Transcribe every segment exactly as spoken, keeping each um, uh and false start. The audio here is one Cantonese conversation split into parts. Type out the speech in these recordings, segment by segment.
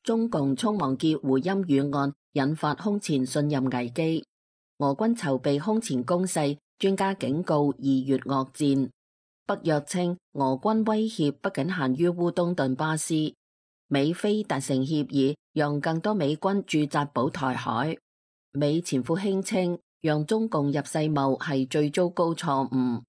中共匆忙結胡鑫宇案引發空前信任危機，俄軍籌備空前攻勢，專家警告二月惡戰。北約稱俄軍威脅不僅限於烏東頓巴斯，美菲達成協議，讓更多美軍駐紮保台海。美前副輕稱，讓中共入世貿係最糟糕錯誤。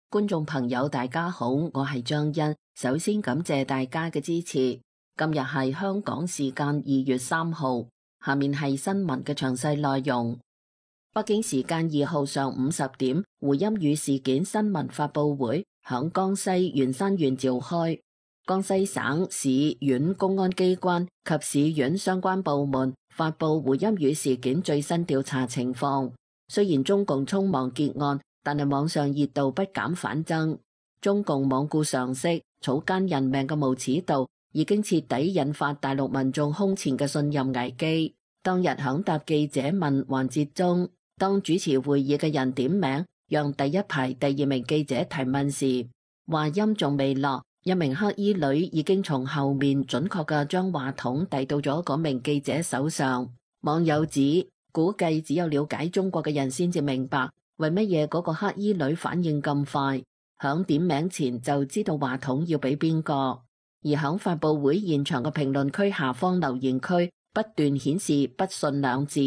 觀眾朋友大家好，我係張欣，首先感謝大家嘅支持。今日係香港時間二月三號，下面係新聞嘅詳細內容。北京時間二號上午十點，胡鑫宇事件新聞發佈會響江西元山縣召開，江西省市縣公安機關及市縣相關部門發佈胡鑫宇事件最新調查情況。雖然中共匆忙結案，但係網上熱度不減反增。中共罔顧常識，草菅人命嘅無恥度已經徹底引發大陸民眾空前嘅信任危機。當日響答記者問環節中，當主持會議嘅人點名，讓第一排第二名記者提問時，話音仲未落，一名黑衣女已經從後面準確嘅將話筒遞到咗嗰名記者手上。網友指，估計只有了解中國嘅人先至明白，為乜嘢嗰個黑衣女反應咁快，響點名前就知道話筒要俾邊個。而響發佈會現場嘅評論區下方留言區不斷顯示不信兩字，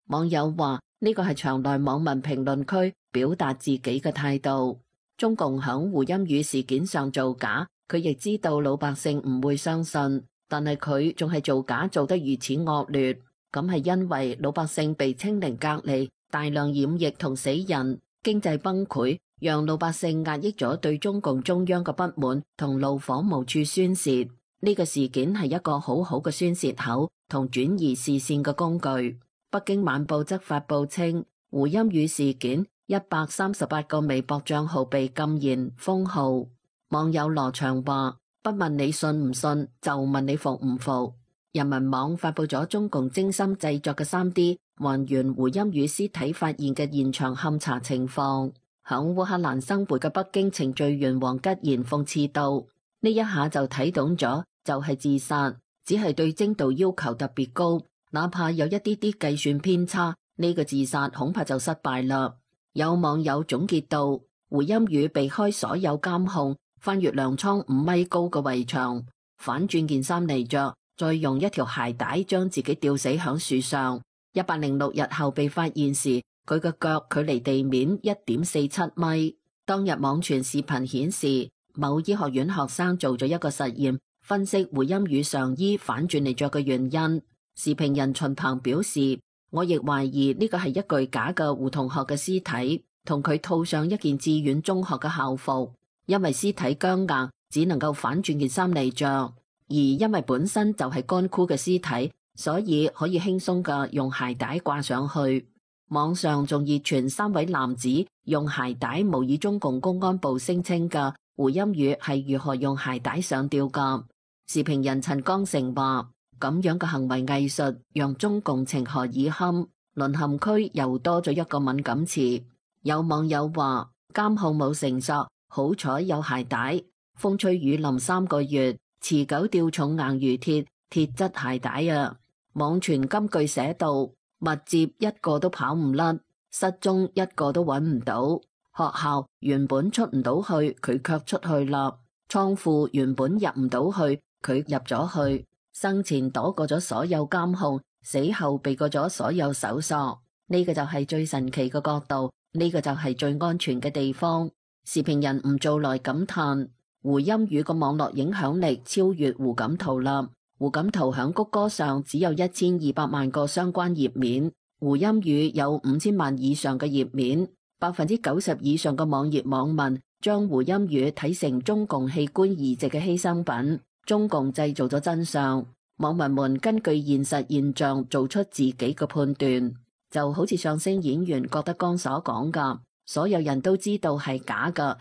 網友話呢個係場內網民評論區表達自己嘅態度。中共響胡鑫宇事件上造假，佢亦知道老百姓唔會相信，但係佢仲係造假做得如此惡劣，咁係因為老百姓被清零隔離，大量染疫同死人，經濟崩潰，讓老百姓壓抑咗對中共中央嘅不滿同怒火無處宣洩。呢個事件係一個好好嘅宣洩口同轉移視線嘅工具。北京晚報則發佈稱，胡鑫宇事件一百三十八個微博賬號被禁言封號。網友羅翔話，不問你信唔信，就問你服唔服。人民網發佈咗中共精心製作嘅 三 D 還原胡鑫宇屍體發現嘅現場勘查情況。響烏克蘭生活嘅北京程序員黃吉賢諷刺道，呢一下就睇懂咗，就係自殺，只係對精度要求特別高，哪怕有一啲啲計算偏差，呢個自殺恐怕就失敗啦。有網友總結道，胡鑫宇避開所有監控，翻越糧倉五米高嘅圍牆，反轉件衫嚟着，再用一條鞋帶將自己吊死響樹上。一百零六日後被發現時，佢嘅腳距離地面一點四七米。當日網傳視頻顯示，某醫學院學生做咗一個實驗，分析胡鑫宇上衣反轉嚟着嘅原因。時評人秦鵬表示，我亦懷疑呢個係一具假嘅胡同學嘅屍體，同佢套上一件志願中學嘅校服，因為屍體僵硬，只能夠反轉件衫嚟着，而因為本身就係乾枯嘅屍體，所以可以輕鬆嘅用鞋帶掛上去。網上仲熱傳三位男子用鞋帶模擬中共公安部聲稱嘅胡鑫宇係如何用鞋帶上吊噶。時評人陳江成話，咁樣嘅行為藝術讓中共情何以堪，淪陷區又多咗一個敏感詞。有網友話，監控冇繩索，好彩有鞋帶，風吹雨淋三個月，持久吊重硬如鐵，鐵質鞋帶啊。網傳金句寫道，密接一個都跑唔甩，失蹤一個都揾唔到。學校原本出唔到去，佢卻出去啦。倉庫原本入唔到去，佢入咗去。生前躲過咗所有監控，死後避過咗所有搜索。呢個就係最神奇嘅角度，呢個就係最安全嘅地方。時評人吳做來感嘆，胡鑫宇個網絡影響力超越胡錦濤啦。胡錦濤響谷歌上只有一千二百萬個相關頁面，胡鑫宇有五千萬以上嘅頁面，百分之九十以上嘅網頁網民將胡鑫宇睇成中共器官移植嘅犧牲品，中共製造咗真相。網民們根據現實現象做出自己嘅判斷，就好似相聲演員郭德綱所講噶，所有人都知道係假噶，